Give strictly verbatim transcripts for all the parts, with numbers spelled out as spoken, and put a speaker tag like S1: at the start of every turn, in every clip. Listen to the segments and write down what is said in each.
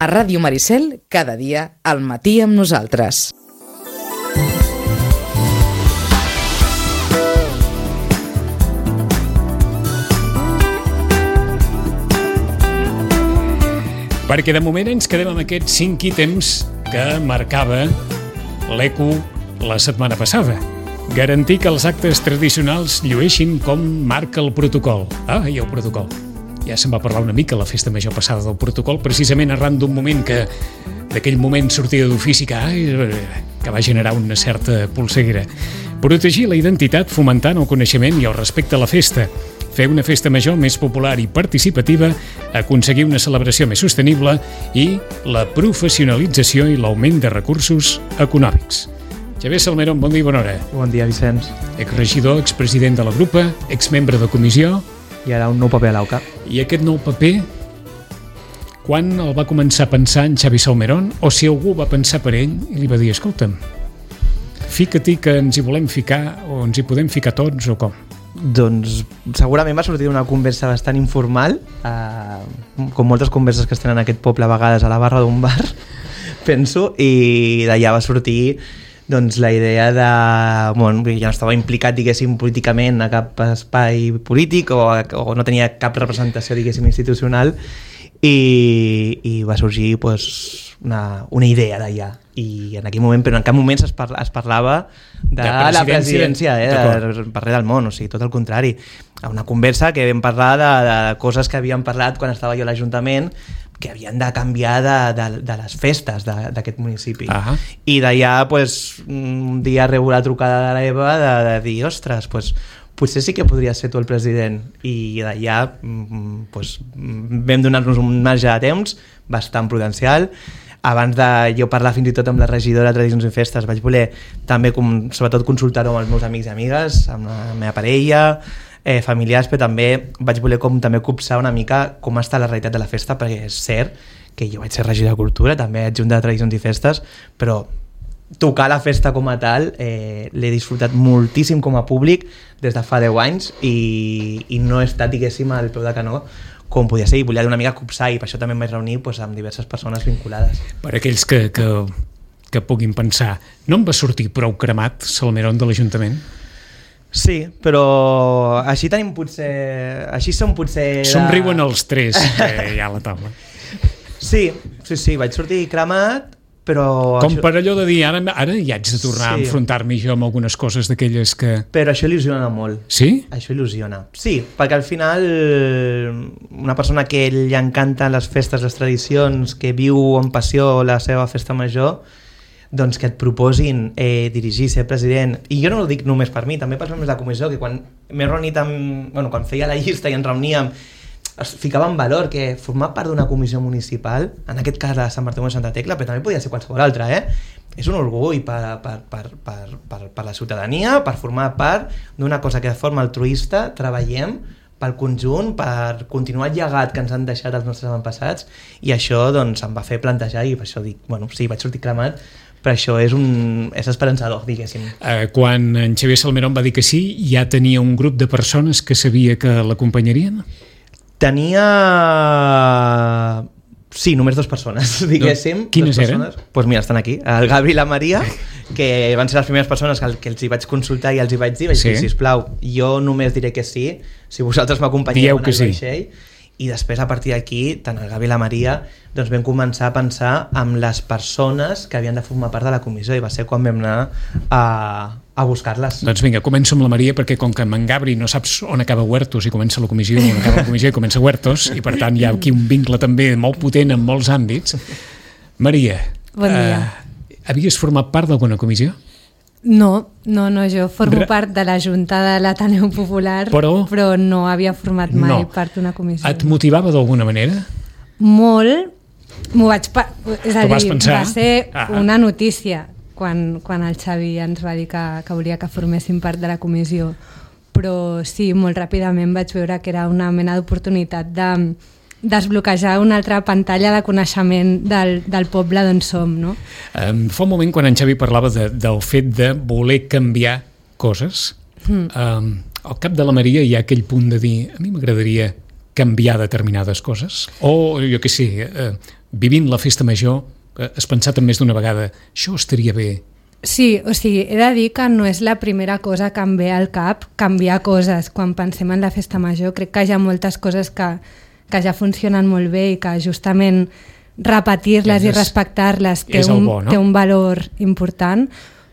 S1: A Ràdio Maricel, cada dia, al matí amb nosaltres.
S2: Perquè de moment ens quedem amb aquests cinc ítems que marcava l'E Q la setmana passada. Garantir que els actes tradicionals llueixin com marca el protocol. Ah, i el protocol. Ja se'n va parlar una mica a la festa major passada del protocol, precisament arran d'un moment que, d'aquell moment sortida d'ofici que, ai, que va generar una certa polseguera. Protegir la identitat fomentant el coneixement i el respecte a la festa. Fer una festa major més popular i participativa, aconseguir una celebració més sostenible i la professionalització i l'augment de recursos econòmics. Xavier Salmerón, bon dia i bona hora.
S3: Bon dia, Vicenç.
S2: Exregidor, expresident de la grupa, exmembre de comissió.
S3: I ara un nou paper a l'A U C A.
S2: I aquest nou paper, quan el va començar a pensar en Xavi Salmerón, o si algú va pensar per ell i li va dir, escolta'm, fica-t'hi que ens hi volem ficar o ens hi podem ficar tots o com?
S3: Doncs segurament va sortir una conversa bastant informal, eh, com moltes converses que es tenen en aquest poble a vegades a la barra d'un bar, penso, i d'allà va sortir doncs, la idea de... Bueno, ja no estava implicat, diguéssim, políticament a cap espai polític o, o no tenia cap representació, diguéssim, institucional i, i va sorgir pues, una, una idea d'allà. I en aquell moment, però en cap moment es, parla, es parlava de, de la presidència, eh, de, per res del món, o sigui, tot el contrari. Una conversa que vam parlar de, de coses que havíem parlat quan estava jo a l'Ajuntament, que havien de canviar de, de, de les festes d'aquest municipi. Uh-huh. I d'allà, pues, un dia rebo la trucada de l'Eva de, de dir, ostres, pues, potser sí que podria ser tu el president. I d'allà pues, vam donar-nos un marge de temps bastant prudencial. Abans de jo parlar fins i tot amb la regidora de Tradicions i Festes, vaig voler també, com, sobretot, consultar-ho amb els meus amics i amigues, amb la meva parella, eh, familiars, però també vaig voler com, també copsar una mica com està la realitat de la festa, perquè és cert que jo vaig ser regidor de Cultura, també adjunt de Tradicions i Festes, però tocar la festa com a tal eh, l'he disfrutat moltíssim com a públic des de fa deu anys i, i no he estat, diguéssim, al peu de canó com podia ser, i volia una mica copsar, i per això també em vaig reunir pues, amb diverses persones vinculades.
S2: Per aquells que, que, que puguin pensar, no em va sortir prou cremat Salmerón de l'Ajuntament?
S3: Sí, però així tenim potser... Així som potser... De...
S2: Somriuen els tres que hi ha a la taula.
S3: Sí, sí, sí, vaig sortir cremat, però...
S2: Com
S3: això...
S2: per allò de dir, ara, ara hi haig de tornar sí. a enfrontar-me jo amb algunes coses d'aquelles que...
S3: Però això il·lusiona molt.
S2: Sí?
S3: Això il·lusiona. Sí, perquè al final una persona que li encanten les festes, les tradicions, que viu amb passió la seva festa major, doncs que et proposin eh, dirigir, ser president, i jo no ho dic només per mi, també pels membres de la comissió, que quan m'he reunit amb... Bueno, quan feia la llista i ens reuníem, es ficava en valor que formar part d'una comissió municipal, en aquest cas la de Sant Bartomeu de Santa Tecla, però també podia ser qualsevol altra, eh? És un orgull per, per, per, per, per, per la ciutadania, per formar part d'una cosa que de forma altruista treballem pel conjunt, per continuar el llegat que ens han deixat els nostres avantpassats, i això doncs em va fer plantejar, i per això dic, bueno, sí, vaig sortir cremat, però això és, un, és esperançador, diguéssim.
S2: Eh, quan en Xavier Salmerón va dir que sí, ja tenia un grup de persones que sabia que l'acompanyarien?
S3: Tenia... Sí, només dues persones, diguéssim.
S2: No. Quines eren?
S3: Doncs pues mira, estan aquí. El Gabri i la Maria, que van ser les primeres persones que, que els hi vaig consultar i els hi vaig dir, vaig sí. dir, sisplau, jo només diré que sí, si vosaltres m'acompanyeu en el
S2: sí.
S3: vaixell. I després, a partir d'aquí, tant el Gavi i la Maria, doncs vam començar a pensar en les persones que havien de formar part de la comissió, i va ser quan vam anar a, a buscar-les.
S2: Doncs vinga, començo amb la Maria, perquè com que en Gabri no saps on acaba Huertos i comença la comissió, on acaba la comissió i comença Huertos, i per tant hi ha aquí un vincle també molt potent en molts àmbits. Maria,
S4: bon dia.
S2: Eh, havies format part d'alguna comissió?
S4: No, no, no, jo formo Re... part de la Junta de l'Ateneu Popular, però, però no havia format mai no. part d'una comissió.
S2: Et motivava d'alguna manera?
S4: Molt, m'ho vaig... Pa... És a dir,
S2: pensar?
S4: Va ser
S2: ah.
S4: una notícia quan, quan el Xavi ens va dir que, que volia que forméssim part de la comissió, però sí, molt ràpidament vaig veure que era una mena d'oportunitat de desbloquejar una altra pantalla de coneixement del, del poble d'on som, no?
S2: Um, fa un moment quan en Xavi parlava de, del fet de voler canviar coses, mm. um, al cap de la Maria hi ha aquell punt de dir, a mi m'agradaria canviar determinades coses, o jo què sé, uh, vivint la festa major, has pensat en més d'una vegada, això estaria bé?
S4: Sí, o sigui, he de dir que no és la primera cosa que em ve al cap, canviar coses quan pensem en la festa major. Crec que hi ha moltes coses que, que ja funcionen molt bé i que justament repetir-les i respectar-les té, un, bo, no? té un valor important,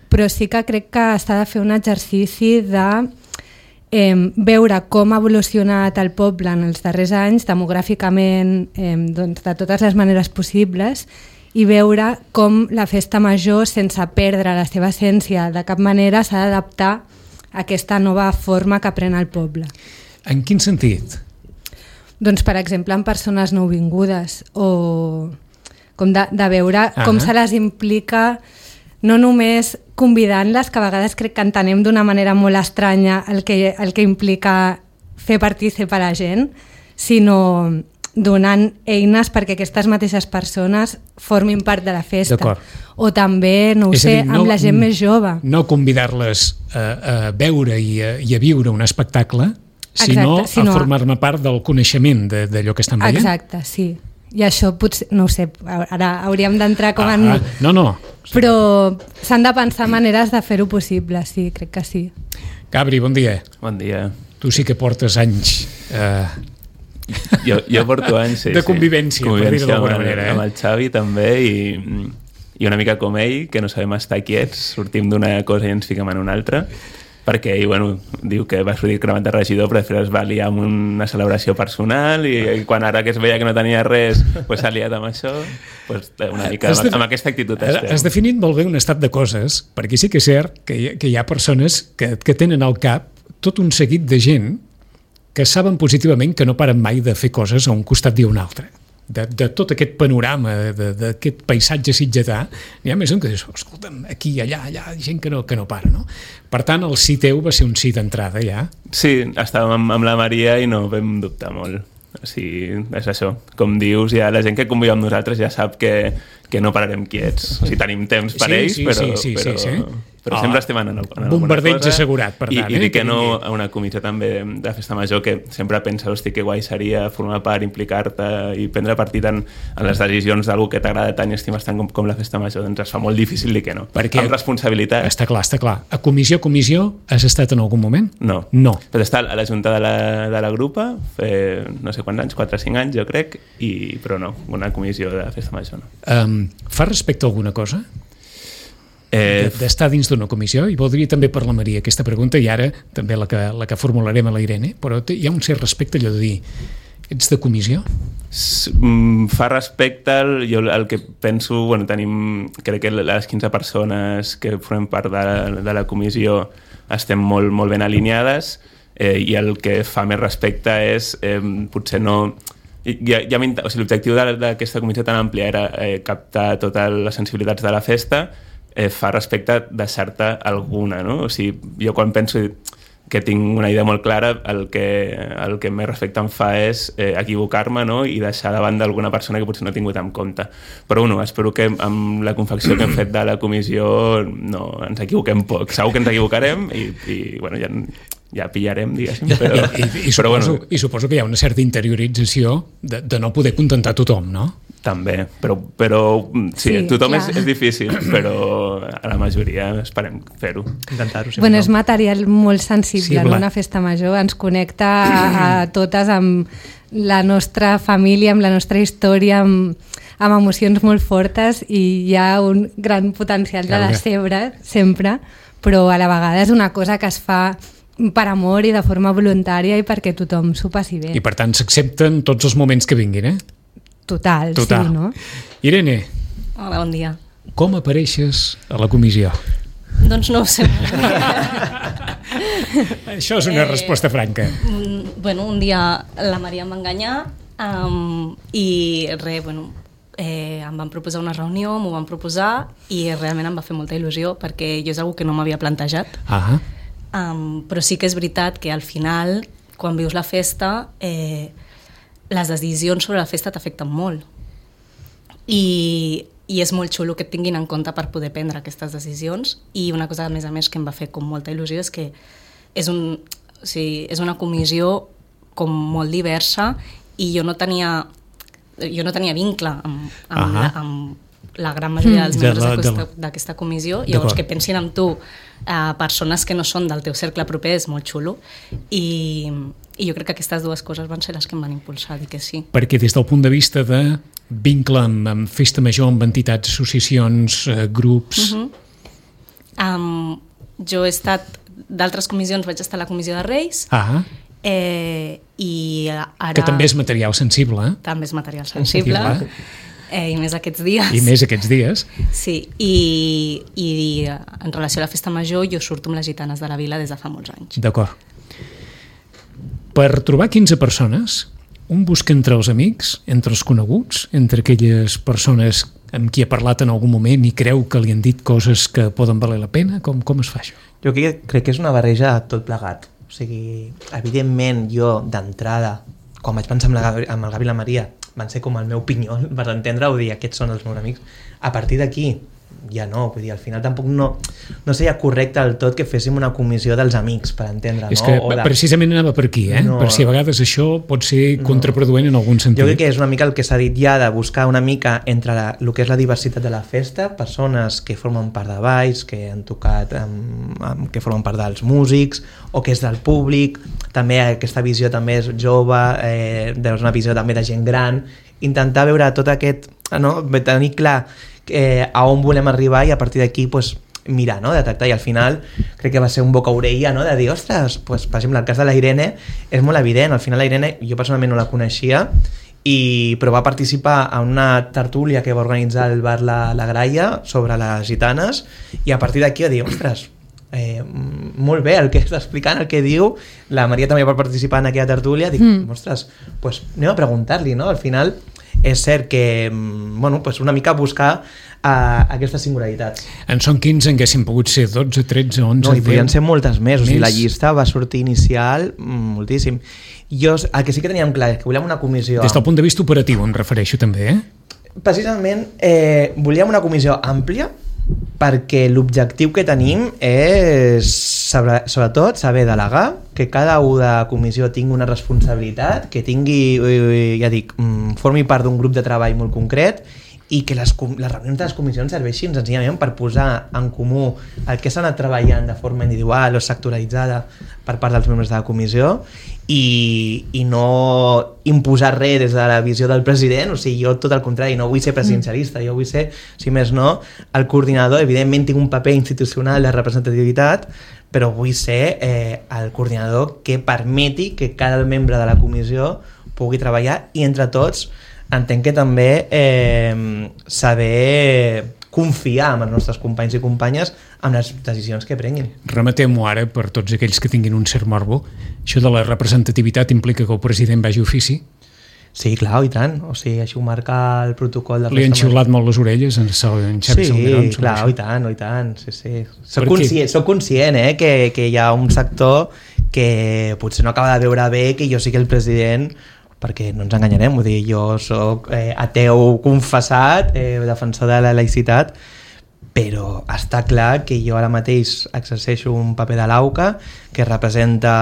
S4: però sí que crec que s'ha de fer un exercici de eh, veure com ha evolucionat el poble en els darrers anys, demogràficament, eh, doncs, de totes les maneres possibles, i veure com la festa major, sense perdre la seva essència de cap manera, s'ha d'adaptar a aquesta nova forma que pren el poble.
S2: En quin sentit?
S4: Doncs, per exemple, en persones nouvingudes, o com de, de veure ah com se les implica, no només convidant-les, que a vegades crec que entenem d'una manera molt estranya el que, el que implica fer partícip a la gent, sinó donant eines perquè aquestes mateixes persones formin part de la festa. O també, no ho
S2: És
S4: sé, dir,
S2: no,
S4: amb la gent més jove.
S2: No convidar-les a, a veure i a, i a viure un espectacle, sinó, Exacte, sinó a formar-ne part del coneixement d'allò que estan veient.
S4: Exacte, sí. I això potser, no ho sé, ara hauríem d'entrar com en...
S2: Ah, no, no.
S4: Però s'han de pensar maneres de fer-ho possible, sí, crec que sí.
S2: Gabri, bon dia.
S5: Bon dia.
S2: Tu sí que portes anys... Eh,
S5: jo, jo porto anys, sí,
S2: de convivència,
S5: sí. convivència
S2: per dir-ho d'alguna manera. Eh?
S5: Amb el Xavi també, i, i una mica com ell, que no sabem estar quiets, sortim d'una cosa i ens fiquem en una altra, perquè ell, bueno, diu que va sortir cremat de regidor, però després es va liar amb una celebració personal, i, i quan ara que es veia que no tenia res, pues s'ha liat amb això, pues una mica amb, amb aquesta actitud estem.
S2: Has definit molt bé un estat de coses, perquè sí que és cert que hi, que hi ha persones que, que tenen al cap tot un seguit de gent que saben positivament que no paren mai de fer coses a un costat i a un altre. De, de tot aquest panorama, d'aquest paisatge sitgetà, n'hi ha més un que dius, escolta'm, aquí, allà, allà, gent que no, que no para, no? Per tant, el sí teu va ser un sí d'entrada, ja?
S5: Sí, estàvem amb, amb la Maria i no vam dubtar molt. O sigui, és això. Com dius, ja la gent que conviu amb nosaltres ja sap que, que no pararem quiets. O sigui, tenim temps per
S2: sí,
S5: ells,
S2: sí,
S5: però,
S2: sí, sí,
S5: però,
S2: sí, sí.
S5: però
S2: oh,
S5: sempre estem en, en alguna cosa.
S2: Bombardeig assegurat, per tant.
S5: I, i
S2: eh,
S5: dic que no a una comissió també de festa major que sempre pensa, hosti, que guai seria formar part, implicar-te i prendre partit en, en les decisions d'algú que t'agrada tant i estimes tant com, com la festa major. Doncs es fa molt difícil dir que no.
S2: Perquè
S5: amb responsabilitat.
S2: Està clar, està clar. A comissió, comissió, has estat en algun moment?
S5: No.
S2: No.
S5: Però està a la junta de la, de la grupa, fer no sé quants anys, quatre o cinc anys, jo crec, i, però no, una comissió de festa major no.
S2: Um, fa respecte a alguna cosa?
S5: Eh,
S2: d'estar dins d'una comissió, i voldria també per la Maria aquesta pregunta, i ara també la que, la que formularem a la Irene, però hi ha un cert respecte allò de dir, ets de comissió?
S5: Fa respecte, jo el que penso, bueno, tenim, crec que les quinze persones que formem part de, de la comissió estem molt, molt ben alineades, eh, i el que fa més respecte és eh, potser no... Ja, ja o sigui, l'objectiu d'aquesta comissió tan àmplia era eh, captar totes les sensibilitats de la festa, eh, fa respecte deixar-te alguna, no? O sigui, jo quan penso que tinc una idea molt clara, el que, el que més respecte em fa és eh, equivocar-me, no? I deixar davant d'alguna persona que potser no he tingut en compte. Però bueno, espero que amb la confecció que hem fet de la comissió no ens equivoquem poc. Segur que ens equivocarem i, i bueno, ja... ja pillarem, diguéssim. Però,
S2: I, i, i,
S5: però
S2: suposo,
S5: bueno,
S2: I suposo que hi ha una certa interiorització de, de no poder contentar tothom, no?
S5: També, però, però sí,
S4: Sí,
S5: tothom és,
S4: clar.
S5: és difícil, però a la majoria esperem fer-ho.
S3: Intentar-ho. Sí,
S4: Bueno, és material molt sensible,
S2: Sí,
S4: no?
S2: clar.
S4: Una festa major ens connecta a, a totes amb la nostra família, amb la nostra història, amb, amb emocions molt fortes, i hi ha un gran potencial de
S2: Clar,
S4: decebre, sempre, però a la vegada és una cosa que es fa per amor i de forma voluntària i perquè tothom s'ho passi bé.
S2: I per tant s'accepten tots els moments que vinguin, eh?
S4: Total,
S2: Total.
S4: sí, no?
S2: Irene,
S6: Hola, bon dia.
S2: com apareixes a la comissió?
S6: Doncs no ho sé.
S2: Això és una
S6: Eh,
S2: resposta franca.
S6: Mm, bueno, un dia la Maria em va enganyar um, i res, bueno, eh, em van proposar una reunió, m'ho van proposar i realment em va fer molta il·lusió perquè jo és una que no m'havia plantejat.
S2: Ah,
S6: Um, però sí que és veritat que al final, quan vius la festa, eh, les decisions sobre la festa t'afecten molt. I, I és molt xulo que et tinguin en compte per poder prendre aquestes decisions. I una cosa, a més a més, que em va fer com molta il·lusió és que és, un, o sigui, és una comissió com molt diversa i jo no tenia jo no tenia vincle amb, amb,
S2: Ahà.
S6: la, amb la gran majoria dels
S2: De
S6: membres
S2: la- de
S6: d'aquesta
S2: la-
S6: d'aquesta comissió, llavors
S2: D'acord.
S6: que pensin amb tu eh, persones que no són del teu cercle proper és molt xulo, i, i jo crec que aquestes dues coses van ser les que em van impulsar a dir que sí.
S2: Perquè des del punt de vista de vincle amb, amb festa major, amb entitats, associacions, eh, grups...
S6: Uh -huh. um, jo he estat d'altres comissions, vaig estar a la comissió de Reis,
S2: Ah,
S6: eh, i ara...
S2: que també és material sensible, eh?
S6: també és material sensible,
S2: Clar.
S6: eh, i més aquests dies.
S2: I més aquests dies.
S6: Sí, i, i en relació a la festa major jo surto amb les gitanes de la vila des de fa molts anys.
S2: D'acord. Per trobar quinze persones, un busca entre els amics, entre els coneguts, entre aquelles persones amb qui ha parlat en algun moment i creu que li han dit coses que poden valer la pena? Com, com es fa això?
S3: Jo crec, crec que és una barreja de tot plegat. O sigui, evidentment, jo, d'entrada, quan vaig pensar amb, la, Gavi- amb el Gavi i la Maria, van ser com el meu pinyol, per entendre-ho, dir, aquests són els meus amics. A partir d'aquí, ja no, vull dir, al final tampoc no, no seria correcte del tot que féssim una comissió dels amics, per entendre,
S2: És
S3: no?
S2: que
S3: O de...
S2: precisament anava per aquí, eh?
S3: No.
S2: Per si a vegades això pot ser contraproduent en algun sentit.
S3: Jo crec que és una mica el que s'ha dit ja, de buscar una mica entre la, el que és la diversitat de la festa, persones que formen part de balls, que han tocat, amb, amb, que formen part dels músics, o que és del públic, també aquesta visió també és jove, eh, és una visió també de gent gran, intentar veure tot aquest, no? Tenir clar eh, a on volem arribar i a partir d'aquí pues, mirar, no? Detectar, i al final crec que va ser un boca orella, no? De dir, ostres, pues, per exemple, el cas de la Irene és molt evident, al final la Irene jo personalment no la coneixia, i, però va participar en una tertúlia que va organitzar el bar La, la Graia sobre les gitanes, i a partir d'aquí va dir, ostres, eh, molt bé el que està explicant, el que diu, la Maria també va participar en aquella tertúlia, dic, mm. ostres, pues, anem a preguntar-li, no? Al final és cert que, bueno, pues una mica buscar uh, aquestes singularitats.
S2: En són quinze, en haguessin pogut ser dotze, tretze, onze,
S3: No, i podien ser moltes més, o sigui,
S2: Més.
S3: la llista va sortir inicial mm, moltíssim. Jo, el que sí que teníem clar és que volíem una comissió...
S2: Des del punt de vista operatiu, em refereixo també, eh?
S3: Precisament, eh, volíem una comissió àmplia perquè l'objectiu que tenim és, sobre, sobretot, saber delegar, que cada un de comissió tingui una responsabilitat, que tingui, eh, ja dic, mm, formi part d'un grup de treball molt concret, i que les, com- les reunions de les comissions serveixin senzillament per posar en comú el que s'ha anat treballant de forma individual o sectoritzada per part dels membres de la comissió, i, i no imposar res des de la visió del president. O sigui, jo tot el contrari, no vull ser presidencialista, jo vull ser, si més no, el coordinador. Evidentment tinc un paper institucional de representativitat, però vull ser eh, el coordinador que permeti que cada membre de la comissió pugui treballar, i entre tots entenc que també eh, saber confiar en els nostres companys i companyes amb les decisions que prenguin.
S2: Rematem-ho ara per tots aquells que tinguin un cert morbo. Això de la representativitat implica que el president vagi a ofici?
S3: Sí, clar, i tant. O sigui, així ho marca el protocol de
S2: Li han
S3: festa
S2: xiulat molt les orelles en, en Xavi
S3: Sí,
S2: Salmerón? sobre
S3: clar,
S2: això?
S3: i tant, i tant, sí, sí. Soc
S2: Per què?
S3: conscient, soc conscient eh, que, que hi ha un sector que potser no acaba de veure bé que jo sigui el president, perquè no ens enganyarem, vull dir, jo soc eh, ateu confessat, eh, defensor de la laïcitat, però està clar que jo ara mateix exerceixo un paper de l'AUCA que representa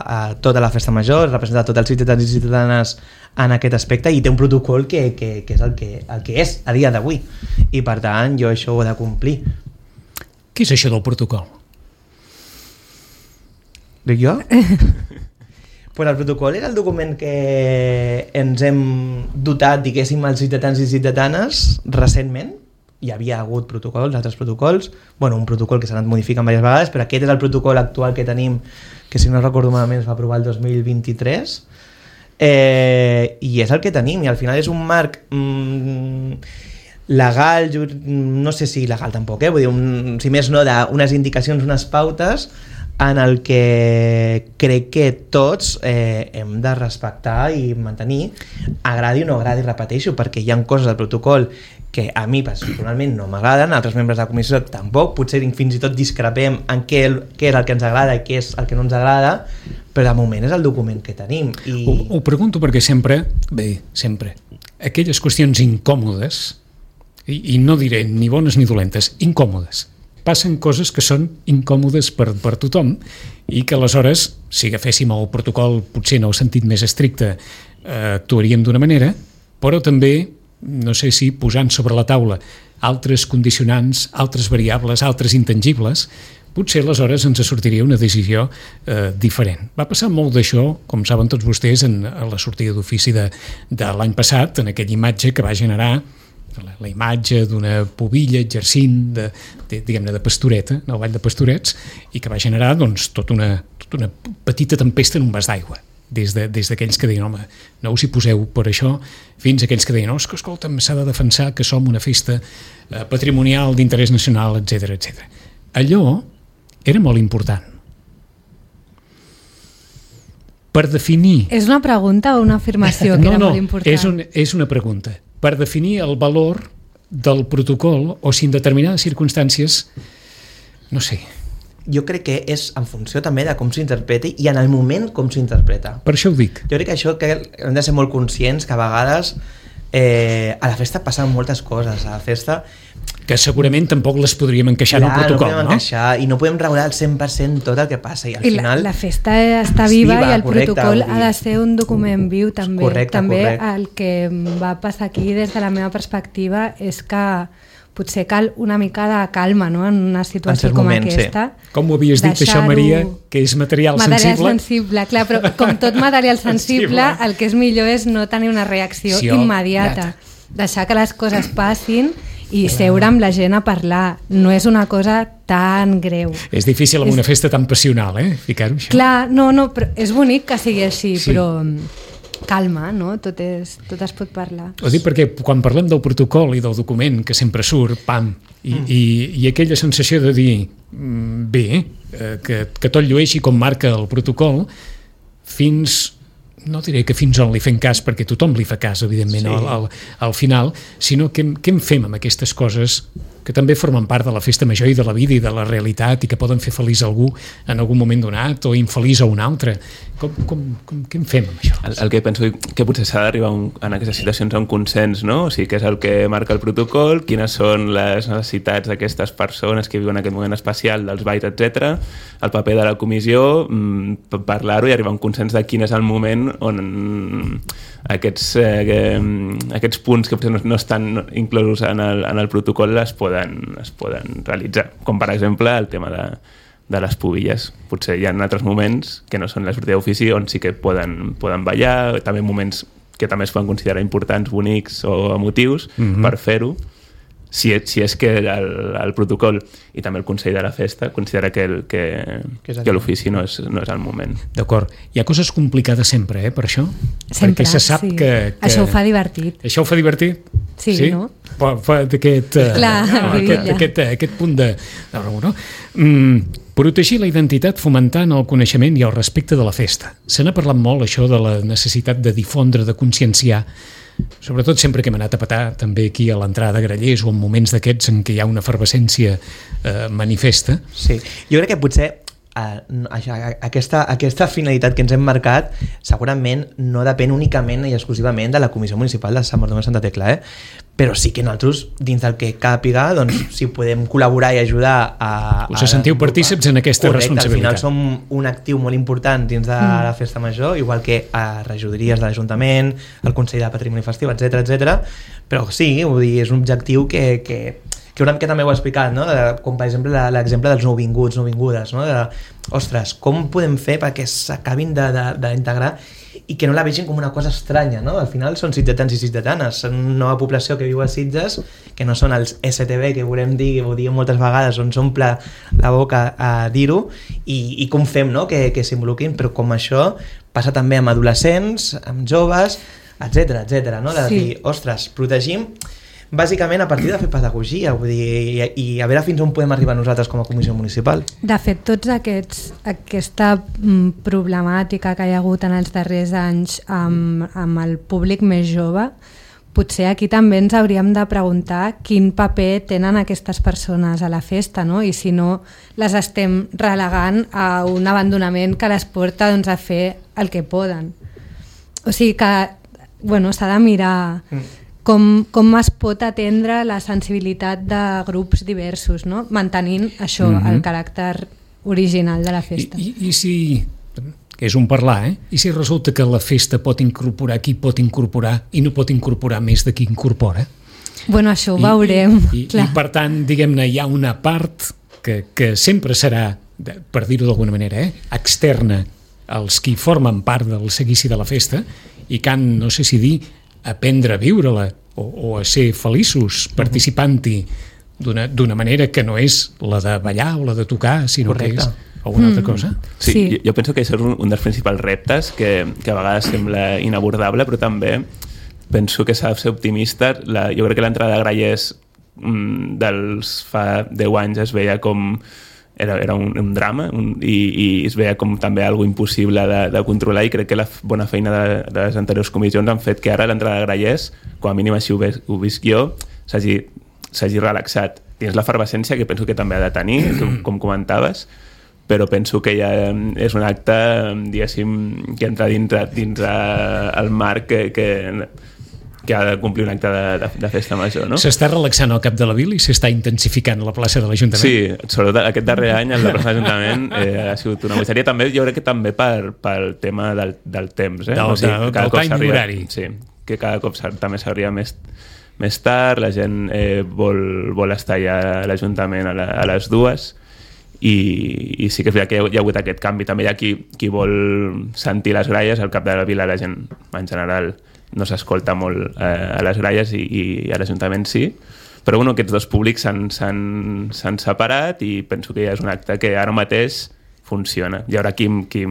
S3: a tota la festa major, representa tots els ciutadans i ciutadanes en aquest aspecte, i té un protocol que, que, que és el que, el que és a dia d'avui, i per tant jo això ho he de complir.
S2: Què és això del protocol?
S3: Dic jo? Pues el protocol era el document que ens hem dotat, diguéssim, els ciutadans i ciutadanes recentment. Hi havia hagut protocols, altres protocols, bueno, un protocol que s'ha anat modificant diverses vegades, però aquest és el protocol actual que tenim, que si no recordo malament es va aprovar el dos mil vint-i-tres, eh, i és el que tenim, i al final és un marc mm, legal, ju- no sé si legal tampoc, eh? Vull dir, un, si més no, d'unes indicacions, unes pautes, en el que crec que tots eh, hem de respectar i mantenir, agradi o no agradi, repeteixo, perquè hi ha coses del protocol que a mi personalment no m'agraden, altres membres de la comissió tampoc, potser fins i tot discrepem en què, què és el que ens agrada i què és el que no ens agrada, però de moment és el document que tenim. I...
S2: Ho, ho pregunto perquè sempre, bé, sempre, aquelles qüestions incòmodes, i, i no diré ni bones ni dolentes, incòmodes, passen coses que són incòmodes per, per tothom, i que aleshores, si agaféssim el protocol potser en el sentit més estricte, eh, actuaríem d'una manera, però també, no sé si posant sobre la taula altres condicionants, altres variables, altres intangibles, potser aleshores ens sortiria una decisió eh, diferent. Va passar molt d'això, com saben tots vostès, en, en la sortida d'ofici de, de l'any passat, en aquella imatge que va generar la, la imatge d'una pubilla exercint de, de, diguem-ne, de pastoreta, no, el ball de pastorets, i que va generar doncs, tota una, tota una petita tempesta en un vas d'aigua. Des d'aquells de, que deien, home, no us hi poseu per això, fins a aquells que deien, no, és que escolta'm, s'ha de defensar que som una festa eh, patrimonial d'interès nacional, etcètera, etcètera. Allò era molt important. Per definir...
S4: És una pregunta o una afirmació que
S2: no,
S4: era
S2: no,
S4: molt important?
S2: És, un, és una pregunta. Per definir el valor del protocol o si en determinades circumstàncies, no sé...
S3: Jo crec que és en funció també de com s'interpreti i en el moment com s'interpreta.
S2: Per això ho dic.
S3: Jo crec que això que hem de ser molt conscients que a vegades eh, a la festa passen moltes coses. A la festa...
S2: Que segurament tampoc les podríem encaixar
S3: Clar,
S2: en el protocol,
S3: no?
S2: no?
S3: Encaixar, i no podem regular al cent per cent tot el que passa. I al
S4: I
S3: final...
S4: la, la festa està viva, viva i el
S3: correcte,
S4: protocol ha de ser un document viu també.
S3: Correcte,
S4: també
S3: correcte.
S4: El que va passar aquí des de la meva perspectiva és que potser cal una mica de calma, no?, en una situació
S3: en
S4: com
S3: moment,
S4: aquesta.
S3: Sí.
S2: Com ho havies dit això, Maria, que és material,
S4: material
S2: sensible?
S4: Material sensible, clar, però com tot material sensible, el que és millor és no tenir una reacció
S2: sí,
S4: immediata. Deixar que les coses passin i seure amb la gent a parlar. No és una cosa tan greu.
S2: És difícil amb
S4: és...
S2: una festa tan passional, eh?, ficar-ho això.
S4: Clar, no, no, però és bonic que sigui així,
S2: Sí.
S4: però calma, no? Tot, és, tot es pot parlar.
S2: Ho dic perquè quan parlem del protocol i del document que sempre surt, pam, i, mm. i, i aquella sensació de dir mm, bé, eh, que, que tot llueixi com marca el protocol, fins... no diré que fins on li fem cas, perquè tothom li fa cas, evidentment, sí. al, al, al final, sinó que, què en fem amb aquestes coses que també formen part de la festa major i de la vida i de la realitat i que poden fer feliç algú en algun moment donat o infeliç a un altre. Com, com, com, què en fem amb això?
S5: El, el que penso que potser s'ha d'arribar en aquestes situacions a un consens, no? O sigui, què és el que marca el protocol, quines són les necessitats d'aquestes persones que viuen aquest moment especial dels balls, etcètera. El paper de la comissió, mmm, parlar-ho i arribar a un consens de quin és el moment on aquests, eh, aquests punts que potser no, no estan inclosos en el, en el protocol es poden, es poden realitzar, com per exemple el tema de, de les pubilles. Potser hi ha altres moments que no són la sortida d'ofici on sí que poden, poden ballar, també moments que també es poden considerar importants, bonics o emotius, mm-hmm. per fer-ho, si, si és que el, el protocol i també el Consell de la Festa considera que, el, que, que, que l'ofici no és, no és el moment.
S2: D'acord. Hi ha coses complicades sempre, eh, per això?
S4: Sempre,
S2: perquè se sap
S4: sí.
S2: que, que...
S4: Això ho fa divertit.
S2: Això ho fa divertit?
S4: Sí,
S2: sí?
S4: no?
S2: Fa, fa d'aquest, uh,
S4: Clar,
S2: no, aquest, aquest, aquest punt de... de raó, no? Mm, protegir la identitat fomentant el coneixement i el respecte de la festa. Se n'ha parlat molt, això, de la necessitat de difondre, de conscienciar, sobretot sempre que hem anat a petar també aquí a l'entrada de Grallers o en moments d'aquests en què hi ha una efervescència eh, manifesta.
S3: Sí, jo crec que potser uh, aquesta, aquesta finalitat que ens hem marcat segurament no depèn únicament i exclusivament de la Comissió Municipal de Sant Bartomeu de Santa Tecla, eh? Però sí que nosaltres, dins del que càpiga, doncs, si podem col·laborar i ajudar a...
S2: Us sentiu a, partícips en aquesta
S3: correcte,
S2: responsabilitat.
S3: Al final som un actiu molt important dins de mm. la Festa Major, igual que a regidories de l'Ajuntament, el Consell de Patrimoni Festiu, etcètera, etcètera. Però sí, vull dir, és un objectiu que, que, que una mica també ho he explicat, no? De, com per exemple l'exemple dels nouvinguts, nouvingudes, no? De, ostres, com podem fer perquè s'acabin d'integrar i que no la vegin com una cosa estranya, no? Al final són sitgetans i sitgetanes, són una nova població que viu a Sitges, que no són els S T B que volem dir, que ho diem moltes vegades, on s'omple la boca a dir-ho, i, i com fem, no? que, que s'involucrin, però com això passa també amb adolescents, amb joves, etcètera, etcètera, no? De
S4: sí.
S3: dir, ostres, protegim bàsicament a partir de fer pedagogia, vull dir, i, i a veure fins on podem arribar nosaltres com a comissió municipal.
S4: De fet, tots aquests, aquesta mm, problemàtica que hi ha hagut en els darrers anys amb, amb el públic més jove, potser aquí també ens hauríem de preguntar quin paper tenen aquestes persones a la festa, no? I si no les estem relegant a un abandonament que les porta, doncs, a fer el que poden. O sigui que, bueno, s'ha de mirar... Mm. Com, com es pot atendre la sensibilitat de grups diversos, no? Mantenint això, mm-hmm. el caràcter original de la festa.
S2: I, i, i si que és un parlar, eh? I si resulta que la festa pot incorporar qui pot incorporar i no pot incorporar més de qui incorpora?
S4: Bueno, això ho
S2: I,
S4: veurem.
S2: I, i, i per tant, diguem-ne, hi ha una part que, que sempre serà, per dir-ho d'alguna manera, eh? externa als qui formen part del seguici de la festa i que han, no sé si dir, aprendre a viure-la o, o a ser feliços participant-hi d'una manera que no és la de ballar o la de tocar, sinó Correcte. Que és alguna altra cosa.
S5: Sí,
S4: sí.
S5: Jo, jo penso que això és un, un dels principals reptes que, que a vegades sembla inabordable, però també penso que s'ha de ser optimista. La, jo crec que l'entrada de Grallers mm, dels fa deu anys es veia com era, era un, un drama un, i, i es veia com també algo impossible de, de controlar, i crec que la bona feina de, de les anteriors comissions han fet que ara l'entrada de Grallers, com a mínim així ho, ves, ho visc jo, s'hagi s'hagi relaxat. Dins l'efervescència que penso que també ha de tenir, com comentaves, però penso que ja és un acte, diguéssim, que entra dins, dins el marc que, que, que ha de complir un acte de, de, de festa major, no?
S2: S'està relaxant al cap de la vila i s'està intensificant a la plaça de l'Ajuntament.
S5: Sí, sobretot aquest darrer any a la plaça de l'Ajuntament eh, ha sigut una bogeria. També, jo crec que també per, pel tema del, del temps. Eh?
S2: Del,
S5: o sigui,
S2: del,
S5: cada
S2: del
S5: cop
S2: time horari.
S5: Sí, que cada cop també s'arriba més més tard, la gent eh, vol, vol estar ja a l'Ajuntament a, la, a les dues i, i sí que és veritat que hi ha, hi ha hagut aquest canvi. També hi ha qui, qui vol sentir les gralles. Al cap de la vila la gent en general no s'escolta molt eh, a les gralles i, i a l'Ajuntament sí, però bueno, aquests dos públics s'han separat i penso que ja és un acte que ara mateix funciona. Hi haurà qui, qui,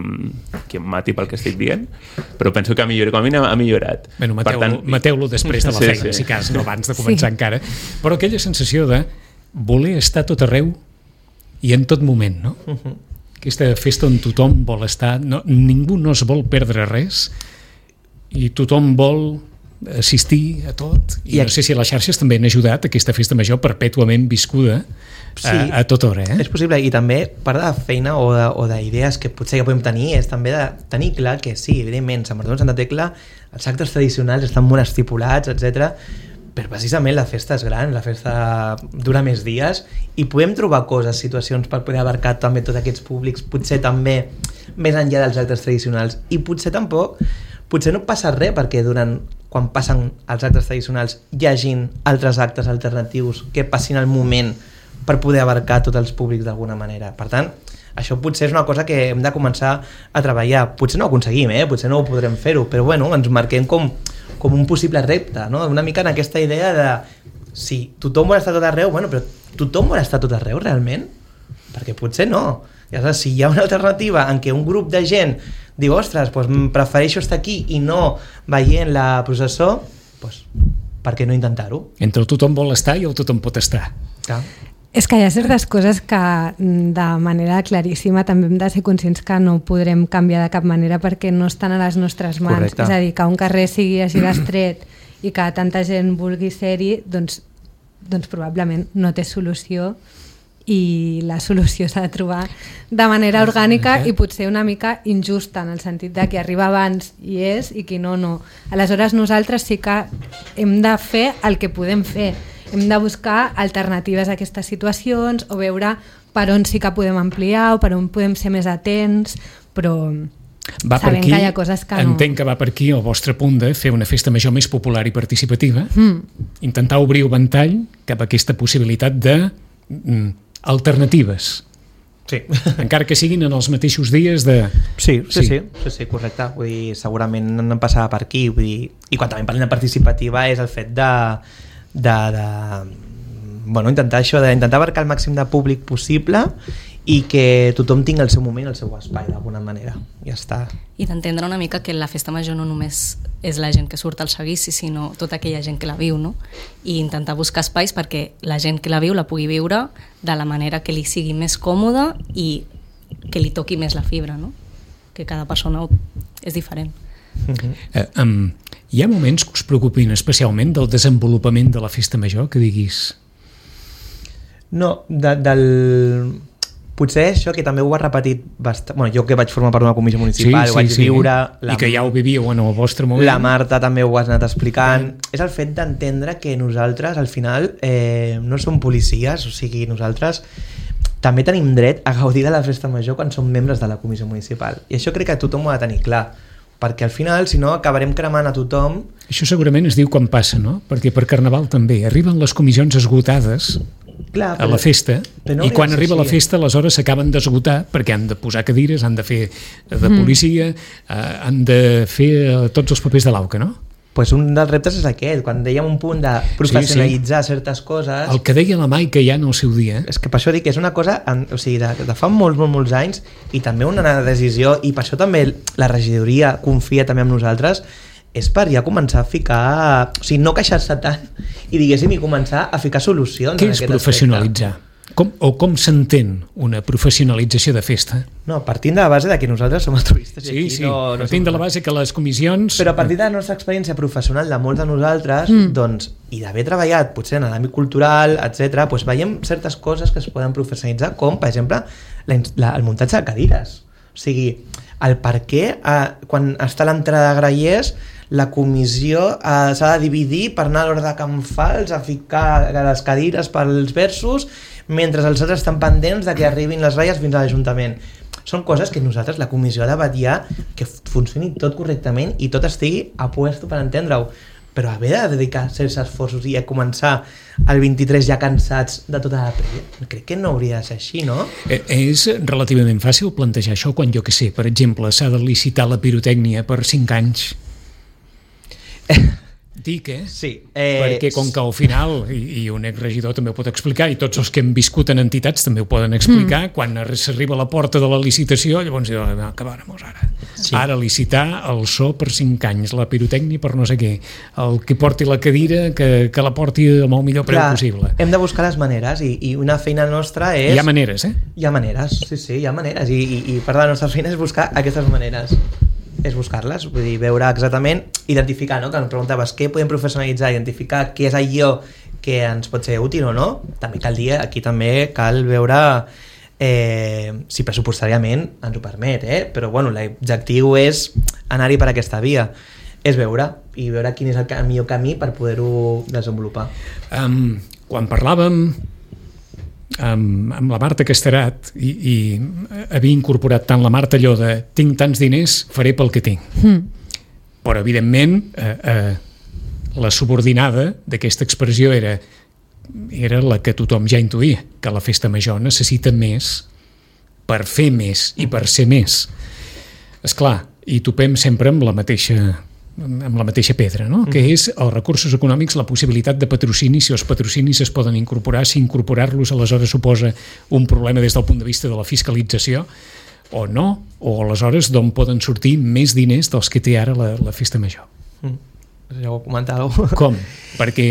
S5: qui em mati pel que estic dient, però penso que ha millorat, com a mínim ha millorat.
S2: Bueno, mateu-lo tant... mateu després de la feina, sí, sí. si cas, no abans de començar sí. encara. Però aquella sensació de voler estar tot arreu i en tot moment, no? Uh-huh. Aquesta festa on tothom vol estar, no, ningú no es vol perdre res i tothom vol assistir a tot. I, I no sé si les xarxes també han ajudat a aquesta festa major perpètuament viscuda sí, a, a tota hora. Eh?
S3: És possible, i també part de la feina o d'idees que potser que podem tenir és també de tenir clar que sí, evidentment, Sant Bartomeu i Santa Tecla, els actes tradicionals estan molt estipulats, etcètera, però precisament la festa és gran, la festa dura més dies i podem trobar coses, situacions per poder abarcar també tots aquests públics, potser també més enllà dels actes tradicionals, i potser tampoc potser no passa res perquè durant quan passen els actes tradicionals hi hagin altres actes alternatius que passin al moment per poder abarcar tots els públics d'alguna manera. Per tant, això potser és una cosa que hem de començar a treballar. Potser no ho aconseguim, eh? Potser no ho podrem fer-ho, però bueno, ens marquem com, com un possible repte, no? Una mica en aquesta idea de si tothom vol estar tot arreu, bueno, però tothom vol estar tot arreu realment? Perquè potser no. I aleshores, si hi ha una alternativa en què un grup de gent diu, ostres, doncs prefereixo estar aquí i no veient la processó, doncs per què no intentar-ho?
S2: Entre el tothom vol estar i el tothom pot estar.
S3: Clar.
S4: És que hi ha certes coses que de manera claríssima també hem de ser conscients que no podrem canviar de cap manera perquè no estan a les nostres mans. Correcte. És a dir, que un carrer sigui així d'estret i que tanta gent vulgui ser-hi, doncs, doncs probablement no té solució i la solució s'ha de trobar de manera orgànica i potser una mica injusta, en el sentit de qui arriba abans hi és i qui no, no. Aleshores nosaltres sí que hem de fer el que podem fer. Hem de buscar alternatives a aquestes situacions o veure per on sí que podem ampliar o per on podem ser més atents, però
S2: va
S4: sabem
S2: aquí,
S4: que hi ha coses que no.
S2: Entenc que va per aquí el vostre punt de fer una festa major més popular i participativa, mm. intentar obrir un ventall cap a aquesta possibilitat de mm, alternatives.
S3: Sí.
S2: Encara que siguin en els mateixos dies de...
S3: Sí, sí, sí, sí, sí, sí correcte. Vull dir, segurament no passava per aquí. Vull dir, i quan també parlem de participativa és el fet de, de, de bueno, intentar això, d'intentar abarcar el màxim de públic possible i que tothom tingui el seu moment, el seu espai d'alguna manera. Ja està.
S6: I d'entendre una mica que la festa major no només és la gent que surt al seguici, sinó tota aquella gent que la viu, no? I intentar buscar espais perquè la gent que la viu la pugui viure de la manera que li sigui més còmoda i que li toqui més la fibra, no? Que cada persona és diferent.
S2: Uh-huh. eh, um, hi ha moments que us preocupin especialment del desenvolupament de la festa major, que diguis...
S3: No, de, del... Potser això que també ho ha repetit bastant... Bueno, jo que vaig formar part d'una comissió municipal, sí, sí, ho vaig sí. viure...
S2: La... I que ja ho vivíeu en el vostre moment.
S3: La Marta també ho has anat explicant. Sí. És el fet d'entendre que nosaltres, al final, eh, no som policies, o sigui, nosaltres també tenim dret a gaudir de la festa major quan som membres de la comissió municipal. I això crec que tothom ho ha de tenir clar, perquè al final, si no, acabarem cremant a tothom.
S2: Això segurament es diu quan passa, no? Perquè per Carnaval també arriben les comissions esgotades Clar, però, a la festa no i quan arriba així. La festa aleshores s'acaben d'esgotar perquè han de posar cadires, han de fer de policia, mm. eh, han de fer eh, tots els papers de l'auca, no?
S3: Pues un dels reptes és aquest, quan dèiem un punt de professionalitzar sí, sí. certes coses...
S2: El que deia la Maica ja en el seu dia.
S3: És que per això dic que és una cosa en, o sigui, de, de fa molts, molts, molts anys i també una decisió, i per això també la regidoria confia també en nosaltres, és per ja començar a ficar... O sigui, no queixar-se tant i diguéssim i començar a ficar solucions.
S2: Què és professionalitzar? Aspecte. Com, o com s'entén una professionalització de festa?
S3: No, partint de la base de que nosaltres som altruistes.
S2: Sí,
S3: i aquí
S2: sí,
S3: no, no
S2: partint
S3: som...
S2: de la base que les comissions...
S3: Però a partir de la nostra experiència professional de molts de nosaltres, mm. doncs, i d'haver treballat potser en l'àmbit cultural, etcètera, doncs veiem certes coses que es poden professionalitzar, com, per exemple, la, la, el muntatge de cadires. O sigui, el per què, eh, quan està l'entrada de grallers, la comissió eh, s'ha de dividir per anar a l'hora de Can Fals a ficar les cadires pels versos, mentre els altres estan pendents de que arribin les ratlles fins a l'Ajuntament. Són coses que nosaltres, la comissió, ha de vetllar que funcioni tot correctament i tot estigui a puesto per entendre-ho. Però haver de dedicar certs esforços i a començar el vint-i-tres ja cansats de tota la prèvia, crec que no hauria de ser així, no?
S2: Eh, és relativament fàcil plantejar això quan, jo que sé, per exemple, s'ha de licitar la pirotècnia per cinc anys. Dic, eh?
S3: Sí. Eh,
S2: Perquè com que al final, i, i un exregidor també ho pot explicar, i tots els que hem viscut en entitats també ho poden explicar, mm. quan s'arriba a la porta de la licitació, llavors diu, acabarem-nos ara. Sí. Ara licitar el so per cinc anys, la pirotècnia per no sé què, el que porti la cadira, que, que la porti amb el millor preu Clar, possible.
S3: Hem de buscar les maneres, i, i una feina nostra és...
S2: Hi ha maneres, eh?
S3: Hi ha maneres, sí, sí, hi ha maneres, i, i, i part de la nostra feina és buscar aquestes maneres. És buscar-les, vull dir, veure exactament, identificar, no? Que em preguntaves què podem professionalitzar, identificar què és allò que ens pot ser útil o no. També cal dir, aquí també cal veure eh, si pressupostàriament ens ho permet, eh? Però bueno, l'objectiu és anar-hi per aquesta via, és veure i veure quin és el millor camí per poder-ho desenvolupar.
S2: Um, quan parlàvem amb, amb la Marta Casterat i, i havia incorporat tant la Marta allò de tinc tants diners, faré pel que tinc. Mm. Però evidentment eh, eh, la subordinada d'aquesta expressió era, era la que tothom ja intuïa, que la festa major necessita més per fer més i per ser més. Esclar, i topem sempre amb la mateixa amb la mateixa pedra, no? Mm. Que és els recursos econòmics, la possibilitat de patrocini, si els patrocinis es poden incorporar, si incorporar-los aleshores suposa un problema des del punt de vista de la fiscalització o no, o aleshores d'on poden sortir més diners dels que té ara la, la festa major.
S3: Mm. Ja ho comentàveu.
S2: Com? Perquè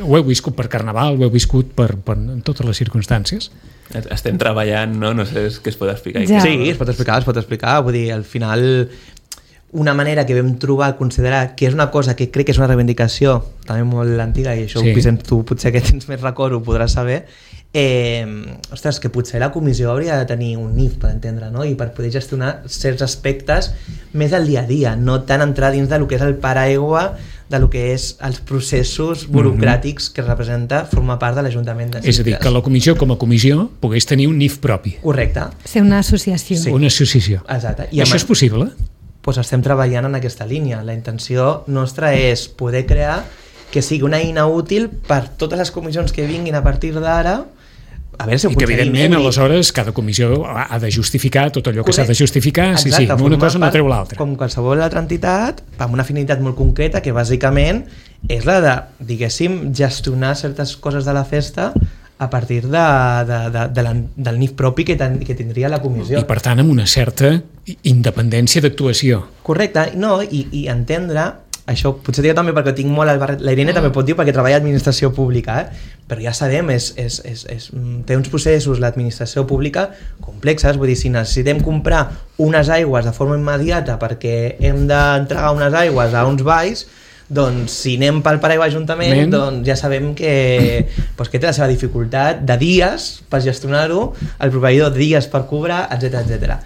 S2: ho heu viscut per Carnaval, ho heu viscut per, per en totes les circumstàncies.
S5: Estem treballant, no? No sé què es pot explicar.
S3: Ja. Sí, es pot explicar, es pot explicar. Vull dir, al final... una manera que vam trobar, considerar que és una cosa que crec que és una reivindicació també molt antiga, i això sí. Vicent, tu potser que tens més record ho podràs saber, eh, ostres, que potser la comissió hauria de tenir un N I F per entendre, no? I per poder gestionar certs aspectes més del dia a dia, no tant entrar dins de lo que és el paraigua de lo que és els processos burocràtics mm-hmm. que representa formar part de l'Ajuntament de Sitges.
S2: És a dir, que la comissió com a comissió pogués tenir un N I F propi.
S3: Correcte.
S4: Ser una associació.
S2: Sí. Una associació.
S3: Exacte.
S2: I això és possible?
S3: Doncs estem treballant en aquesta línia. La intenció nostra és poder crear que sigui una eina útil per totes les comissions que vinguin a partir d'ara, a veure si ho
S2: i que evidentment aleshores cada comissió ha de justificar tot allò que s'ha de justificar. Exacte, sí, sí, una cosa no treu l'altra.
S3: Com qualsevol altra entitat, amb una finalitat molt concreta que bàsicament és la de, diguéssim, gestionar certes coses de la festa a partir de, de, de, de la, del N I F propi que, ten, que tindria la comissió.
S2: I per tant amb una certa independència d'actuació.
S3: Correcte, no, i, i entendre, això potser dic també perquè tinc molt al barret, la Irene mm. també pot dir perquè treballa a administració pública, eh? Però ja sabem, és, és, és, és, té uns processos l'administració pública complexes, vull dir, si necessitem comprar unes aigües de forma immediata perquè hem d'entregar unes aigües a uns valls, doncs si anem pel paraigua Ajuntament, Men. doncs ja sabem que, doncs, que té la seva dificultat de dies per gestionar-ho, el proveïdor dies per cobrar, etcètera, etcètera.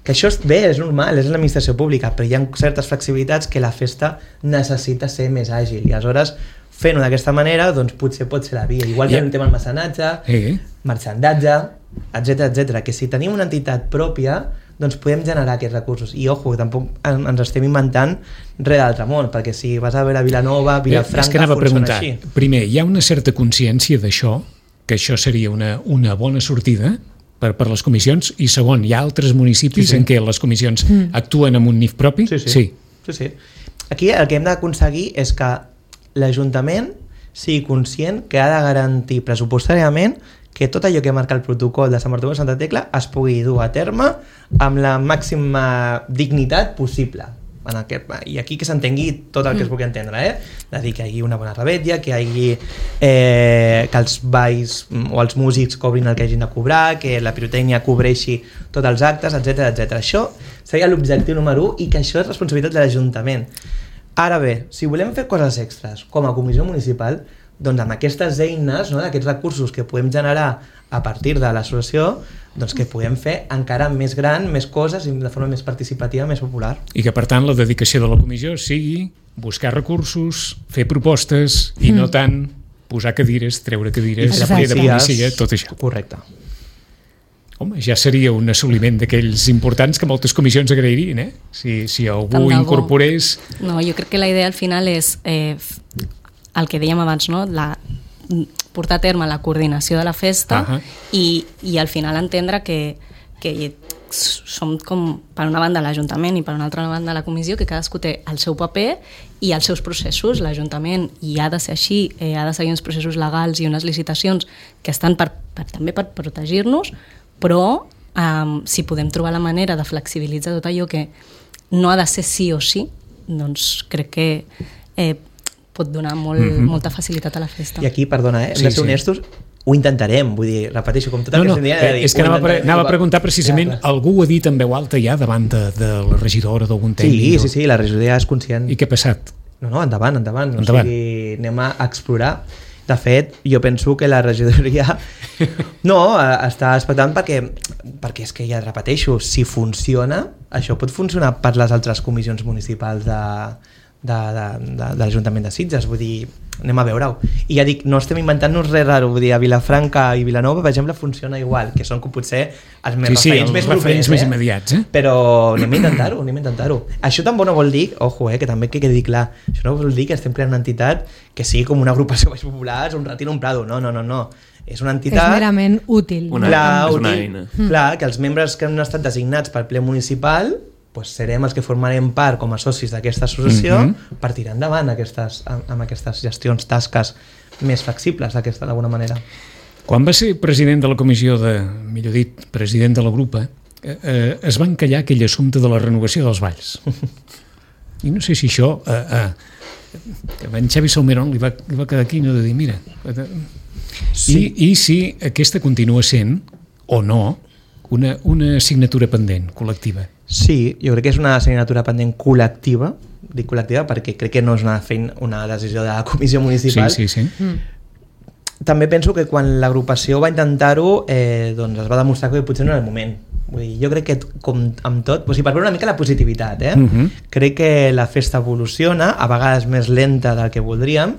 S3: Que això és bé, és normal, és l'administració pública, però hi ha certes flexibilitats que la festa necessita ser més àgil, i aleshores fent-ho d'aquesta manera, doncs potser pot ser la via. Igual que
S2: Yeah.
S3: el tema del mecenatge,
S2: Eh?
S3: marxandatge, etcètera, etcètera. Que si tenim una entitat pròpia, doncs podem generar aquests recursos. I, ojo, tampoc en- ens estem inventant res d'altre món, perquè si vas a veure Vilanova,
S2: Eh, és que
S3: Vilafranca,
S2: anava a
S3: funciona
S2: preguntar,
S3: així.
S2: primer, hi ha una certa consciència d'això, que això seria una, una bona sortida per, per les comissions, i segon, hi ha altres municipis
S3: Sí, sí.
S2: en què les comissions actuen amb un N I F propi?
S3: Sí, sí.
S2: sí.
S3: sí, sí. Aquí el que hem d'aconseguir és que l'Ajuntament sigui conscient que ha de garantir pressupostàriament que tot allò que marca el protocol de Sant Bartomeu de Santa Tecla es pugui dur a terme amb la màxima dignitat possible. En aquest, i aquí que s'entengui tot el que es pugui entendre, eh? És a dir, que hi hagi una bona rebetlla, que hi hagi eh, que els balls o els músics cobrin el que hagin de cobrar, que la pirotècnia cobreixi tots els actes, etcètera, etcètera. Això seria l'objectiu número u i que això és responsabilitat de l'Ajuntament. Ara bé, si volem fer coses extres com a comissió municipal, doncs amb aquestes eines, no, aquests recursos que podem generar a partir de l'associació, doncs que podem fer encara més gran, més coses i de forma més participativa, més popular.
S2: I que, per tant, la dedicació de la comissió sigui buscar recursos, fer propostes i no tant posar cadires, treure cadires,
S3: fer
S2: fer de
S3: policies.
S2: policia, tot això.
S3: Correcte.
S2: Home, ja seria un assoliment d'aquells importants que moltes comissions agrairien, eh? Si, si algú
S6: Tant de bo.
S2: incorporés...
S6: No, jo crec que la idea al final és eh, el que dèiem abans, no? La, portar a terme la coordinació de la festa
S2: Ahà.
S6: i, i al final entendre que, que som com per una banda l'Ajuntament i per una altra banda la comissió, que cadascú té el seu paper i els seus processos. L'Ajuntament, i ha de ser així, eh, ha de seguir uns processos legals i unes licitacions que estan per, per, també per protegir-nos, però eh, si podem trobar la manera de flexibilitzar tot allò que no ha de ser sí o sí, doncs crec que eh, pot donar molt, mm-hmm. molta facilitat a la festa.
S3: I aquí, perdona, eh? hem
S2: Sí,
S3: de ser
S2: sí.
S3: honestos, ho intentarem, vull dir, repeteixo, com tot el
S2: No,
S3: que
S2: no,
S3: s'han dit,
S2: eh, és que
S3: ho
S2: anava, a pre-
S3: intentarem.
S2: anava a preguntar precisament,
S3: Clar, clar.
S2: algú ho ha dit en veu alta ja davant de, de la regidora d'algun
S3: Sí,
S2: tècnic?
S3: sí, sí, la regidoria és conscient.
S2: I què ha passat?
S3: No, no, endavant, endavant.
S2: Endavant.
S3: O sigui, anem a explorar. De fet, jo penso que la regidoria no, eh, està expectant perquè, perquè és que ja repeteixo, si funciona, això pot funcionar per les altres comissions municipals de, de, de, de, de l'Ajuntament de Sitges, vull dir, anem a veure-ho. I ja dic, no estem inventant-nos res raro, vull dir, a Vilafranca i Vilanova, per exemple, funciona igual, que són com potser els més
S2: Sí, sí,
S3: referents
S2: els
S3: més
S2: referents
S3: propers,
S2: més
S3: eh?
S2: immediats, eh?
S3: Però anem a intentar-ho, anem a intentar-ho. Això tampoc no vol dir, ojo, eh, que també que quedi clar, això no vol dir que estem creant una entitat que sigui com una agrupació més popular, un retiro, un prado, no, no, no, no. És una
S4: És
S3: entitat...
S4: merament útil.
S5: Una-
S3: clar,
S5: és una
S3: útil,
S5: eina.
S3: clar, que els membres que han estat designats pel ple municipal pues serem els que formarem part com a socis d'aquesta associació
S2: Mhm.
S3: per tirar endavant aquestes, amb, amb aquestes gestions, tasques més flexibles d'aquesta d'alguna manera.
S2: Quan va ser president de la comissió de, millor dit, president de la grupa, eh, eh, es va encallar aquell assumpte de la renovació dels balls. I no sé si això eh, eh, que a en Xavi Salmerón li va, li va quedar aquí no de dir, mira, eh,
S3: Sí.
S2: i, i si aquesta continua sent, o no, una, una assignatura pendent, col·lectiva.
S3: Sí, jo crec que és una assignatura pendent col·lectiva, dic col·lectiva perquè crec que no és una, feina, una decisió de la comissió municipal.
S2: Sí, sí, sí.
S4: Mm.
S3: També penso que quan l'agrupació va intentar-ho eh, doncs es va demostrar que potser no era el moment. Vull dir, jo crec que com amb tot, o sigui, per veure una mica la positivitat, eh?
S2: Mhm.
S3: crec que la festa evoluciona, a vegades més lenta del que voldríem,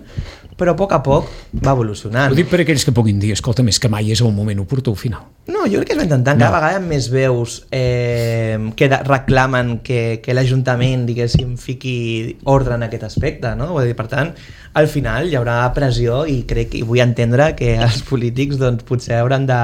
S3: però a poc a poc va evolucionant.
S2: Ho dic per aquells que puguin dir, escolta, més que mai és el moment oportú al final.
S3: No, jo crec que es va intentant. Cada
S2: No.
S3: vegada hi ha més veus eh, que de, reclamen que, que l'Ajuntament, diguéssim, fiqui ordre en aquest aspecte, no? Vull dir, per tant, al final hi haurà pressió i crec i vull entendre que els polítics doncs, potser hauran de,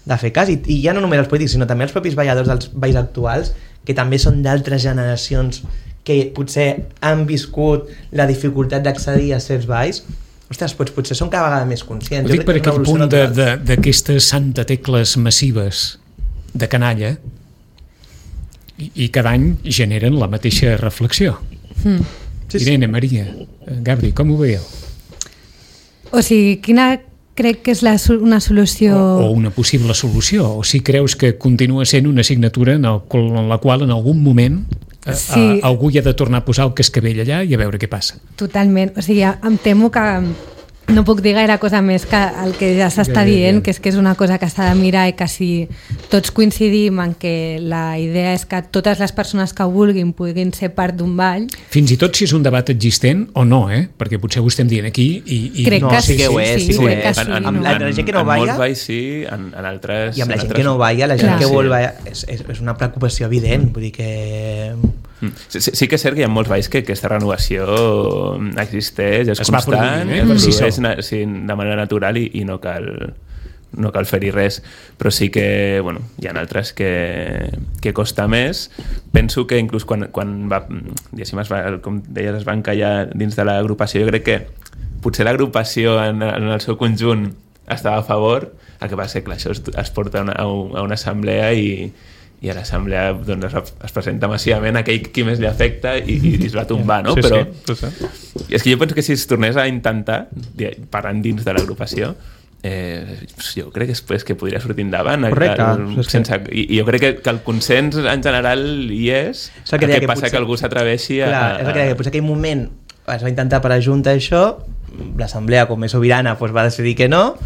S3: de fer cas. I, I ja no només els polítics, sinó també els propis balladors dels balls actuals, que també són d'altres generacions que potser han viscut la dificultat d'accedir a certs balls. Ostres, doncs potser són cada vegada més conscients.
S2: Ho dic
S3: Jo
S2: per
S3: crec que és
S2: aquest
S3: una
S2: punt
S3: evolució
S2: de-
S3: natural.
S2: de- d'aquestes santa tecles massives de canalla i, i cada any generen la mateixa reflexió.
S4: Mm.
S3: Sí, sí.
S2: Irene, Maria, eh, Gabri, com ho veieu?
S4: O sigui, quina crec que és la, so- una solució...
S2: O, o una possible solució, o si creus que continua sent una assignatura en, el, qual- en la qual en algun moment eh,
S4: Sí.
S2: eh, algú hi ha de tornar a posar el cascavell allà i a veure què passa.
S4: Totalment. O sigui, em temo que no puc dir gaire cosa més que el que ja s'està
S2: Ja, ja, ja.
S4: dient, que és que és una cosa que s'ha de mirar i que si tots coincidim en que la idea és que totes les persones que ho vulguin puguin ser part d'un ball.
S2: Fins i tot si és un debat existent o no, eh? Perquè potser ho estem dient aquí i... i...
S4: Crec
S3: No,
S4: que
S3: sí
S4: sí,
S3: que ho és,
S4: sí,
S3: sí que ho
S4: crec
S3: és.
S4: que sí.
S5: En, en,
S3: Amb
S4: no?
S3: la- la gent que no
S5: en
S3: balla-
S5: molts balls sí, en, en altres...
S3: I amb la
S5: en
S3: gent
S5: altres
S3: que no balla, la gent
S4: Clar.
S3: que
S5: Sí.
S3: vol ballar, és, és, és una preocupació evident, vull dir que...
S5: Sí, sí, sí que és cert que hi ha molts balls que aquesta renovació existeix, és
S2: Es va
S5: constant,
S2: produint, eh,
S5: es
S2: per si
S5: produeix
S2: sol.
S5: na- sí, de manera natural i, i no cal no cal fer-hi res, però sí que bueno, hi ha altres que, que costa més. Penso que inclús quan, quan va, diguéssim, es va, com deies, es va encallar dins de l'agrupació, jo crec que potser l'agrupació en, en el seu conjunt estava a favor, el que passa és que clar, això es, es porta a una, a un- a una assemblea i i a l'assemblea doncs, es, es presenta massivament aquell qui més li afecta i, i es va tombar, no?
S3: Sí,
S5: Però
S3: sí, sí, sí.
S5: és que jo penso que si es tornés a intentar, di- parlant dins de l'agrupació, eh, jo crec que, és, que podria sortir endavant.
S3: Correcte.
S5: El,
S3: És que-
S5: sense, i, I jo crec que, que el consens en general hi és,
S3: És el
S5: el
S3: que
S5: que,
S3: deia que
S5: passa
S3: potser-
S5: que algú s'atreveixi a...
S3: Clar, és el que deia, que potser aquell moment es va intentar per ajuntar això, l'assemblea com és sobirana doncs va decidir que no,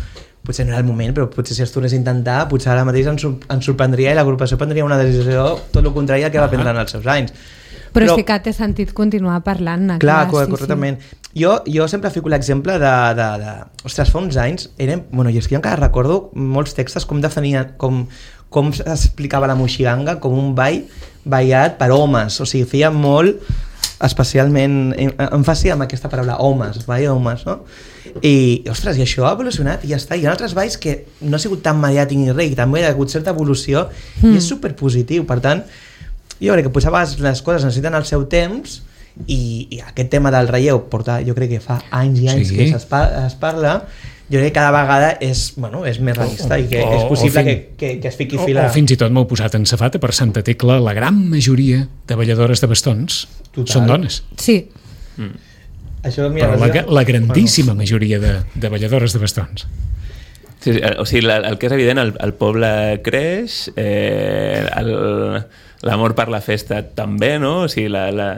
S3: potser no era el moment, però potser si es tornés a intentar, potser ara mateix ens, sor- ens sorprendria i l'agrupació prendria una decisió tot el contrari al que va prendre en els seus anys.
S4: Però, però sí que té sentit continuar parlant-ne.
S3: Clar,
S4: sí,
S3: correctament. Jo, jo sempre fico l'exemple de, de, de... Ostres, fa uns anys érem... Bueno, jo és que jo encara recordo molts textos com definien... Com, com s'explicava la moixiganga com un ball ballat per homes. O sigui, feia molt especialment èmfasi amb aquesta paraula homes, ball homes, no? I, ostres, i això ha evolucionat i ja està. Hi ha altres balls que no ha sigut tan mediàtic ni res, i també hi ha hagut certa evolució mm. i és superpositiu. Per tant, jo crec que potser a vegades les coses necessiten el seu temps i, i aquest tema del relleu porta, jo crec que fa anys i anys
S2: Sí.
S3: que es, pa es parla, jo crec que cada vegada és, bueno, és més realista i que
S2: O-
S3: és
S2: o
S3: possible
S2: fin-
S3: que, que, que es fiqui
S2: O,
S3: fila.
S2: o fins i tot m'heu posat en safata per Santa Tecla, la gran majoria de balladores de bastons
S3: Total.
S2: són dones.
S4: Sí,
S3: Això, mira,
S2: Però la,
S3: això-
S2: la grandíssima majoria de, de balladores de bastons.
S5: Sí, sí, o sigui, el, el que és evident, el, el poble creix, eh, el- l'amor per la festa també, no? O sigui, la, la,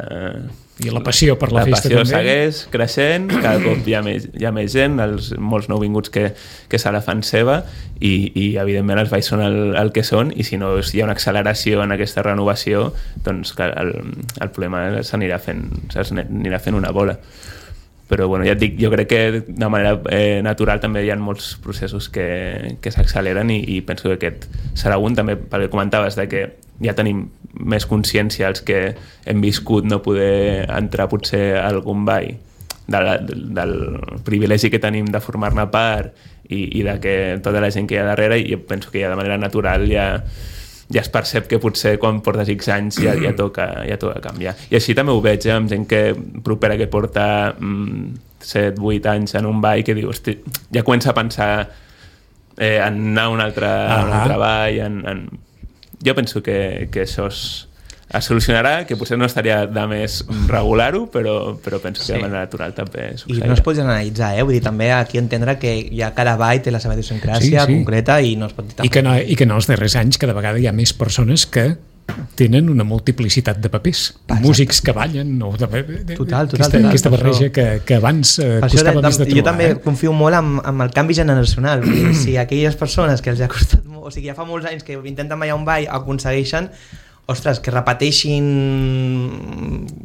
S2: I la passió per la,
S5: la
S2: festa
S5: passió
S2: també.
S5: segueix creixent, cada cop hi ha més, hi ha més gent, els, molts nouvinguts que, que se la fan seva i, i evidentment els balls són el, el que són i si no hi ha una acceleració en aquesta renovació doncs que el, el problema s'anirà fent, s'anirà fent una bola. Però bueno, ja et dic, jo crec que de manera eh, natural també hi ha molts processos que, que s'acceleren i, i penso que aquest serà un, també pel que comentaves de que ja tenim més consciència els que hem viscut no poder entrar potser a algun ball de la, del privilegi que tenim de formar-ne part i, i de que tota la gent que hi ha darrere, i jo penso que ja de manera natural ja ja es percep que potser quan portes X anys ja, ja, toca, ja toca canviar. I així també ho veig eh, amb gent que propera que porta mm, set vuit anys en un ball que diu, hosti, ja comença a pensar eh, en anar a un altre, a un altre ball. En, en... Jo penso que, que això es, es solucionarà, que potser no estaria de més regular-ho, però, però penso que de manera natural també
S3: I
S5: succeirà.
S3: no es pot generalitzar, eh? Vull dir, també aquí entendre que ja cada ball té la seva idiosincràsia
S2: Sí, sí.
S3: concreta i no es pot dir
S2: I que, no, I que en els darrers anys cada vegada hi ha més persones que tenen una multiplicitat de papers.
S3: Exacte.
S2: Músics que ballen o de, de, de,
S3: Total, total,
S2: aquesta,
S3: total.
S2: aquesta barreja
S3: Això-
S2: que, que abans eh,
S3: Per això
S2: costava
S3: de,
S2: més de
S3: de,
S2: trobar.
S3: jo també
S2: eh?
S3: confio molt amb, amb el canvi generacional. Vull dir, si aquelles persones que els ha costat molt, o sigui, ja fa molts anys que intenten ballar un ball aconsegueixen, ostres, que repeteixin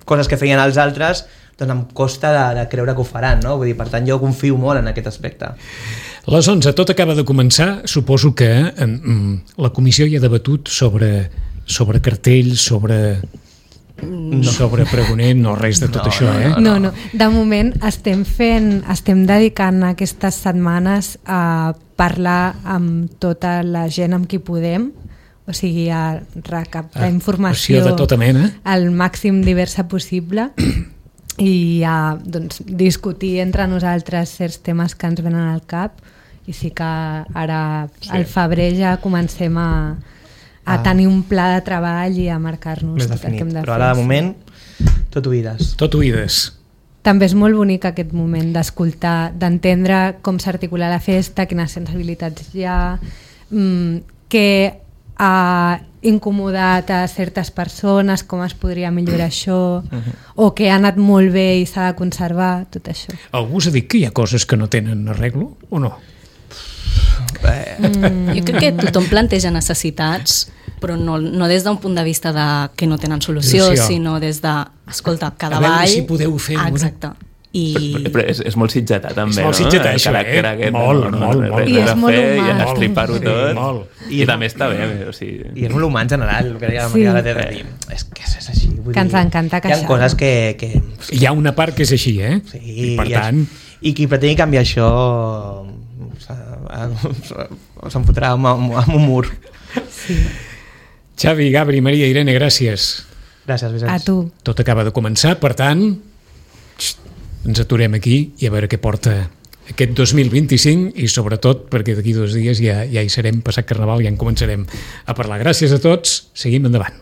S3: coses que feien els altres, doncs em costa de, de creure que ho faran, no? Vull dir, per tant, jo confio molt en aquest aspecte.
S2: Les onze, tot acaba de començar. Suposo que eh, la comissió ja ha debatut sobre, sobre cartells, sobre, no. sobre pregoner, no res de tot
S3: No,
S2: això,
S3: no,
S2: eh?
S4: no, no. De moment estem fent, estem dedicant aquestes setmanes a parlar amb tota la gent amb qui podem, o sigui, a recaptar
S2: Ah,
S4: informació
S2: de tota mena.
S4: al màxim diversa possible i a doncs, discutir entre nosaltres certs temes que ens venen al cap, i sí que ara
S2: Sí.
S4: al febrer ja comencem a, a
S3: Ah.
S4: tenir un pla de treball i a marcar-nos
S3: Més
S4: tot el
S3: definit.
S4: que hem de
S3: Però
S4: fer.
S3: ara, de
S4: sí.
S3: moment, tot oïdes.
S2: Tot oïdes.
S4: També és molt bonic aquest moment d'escoltar, d'entendre com s'articula la festa, quines sensibilitats hi ha, mm, que uh, incomodat a certes persones, com es podria millorar això, o que ha anat molt bé i s'ha de conservar, tot això.
S2: Algú us ha dit que hi ha coses que no tenen arreglo o no?
S6: Mm. Jo crec que tothom planteja necessitats, però no, no des d'un punt de vista de que no tenen solució,
S2: Solució.
S6: sinó des de, escolta, cada
S2: A veure
S6: ball...
S2: si podeu fer
S6: Ah,
S2: una.
S6: exacte. I...
S5: Però és, és molt sitgetà també,
S2: És molt
S5: no?
S2: sitgetà,
S5: El
S2: això,
S5: caràcter
S2: eh?
S5: aquest,
S2: Molt,
S5: no, no,
S2: molt,
S5: res-
S2: molt.
S5: res
S4: I és
S5: a
S4: molt
S5: fer,
S4: humà.
S5: I
S2: Molt.
S5: estripar-ho
S2: Sí,
S5: tot.
S2: molt.
S5: I, I també està bé. O sigui...
S3: I és molt humà en general, el que deia la
S4: Sí.
S3: Maria de dir, és que és així. Vull
S4: Que ens
S3: dir,
S4: encanta
S3: Hi ha
S4: queixar.
S3: coses que... que
S2: Hi ha una part que és així, eh?
S3: sí,
S2: I per
S3: i,
S2: tant...
S3: I qui pretengui canviar això s'ha- se'n fotrà amb, amb, amb un mur.
S2: Xavi, Gabri, Maria, Irene, gràcies.
S3: Gràcies, Vicenç.
S4: A tu.
S2: Tot acaba de començar, per tant, xt, ens aturem aquí i a veure què porta aquest dos mil vint-i-cinc i sobretot perquè d'aquí dos dies ja, ja hi serem, passat Carnaval, ja en començarem a parlar. Gràcies a tots, seguim endavant.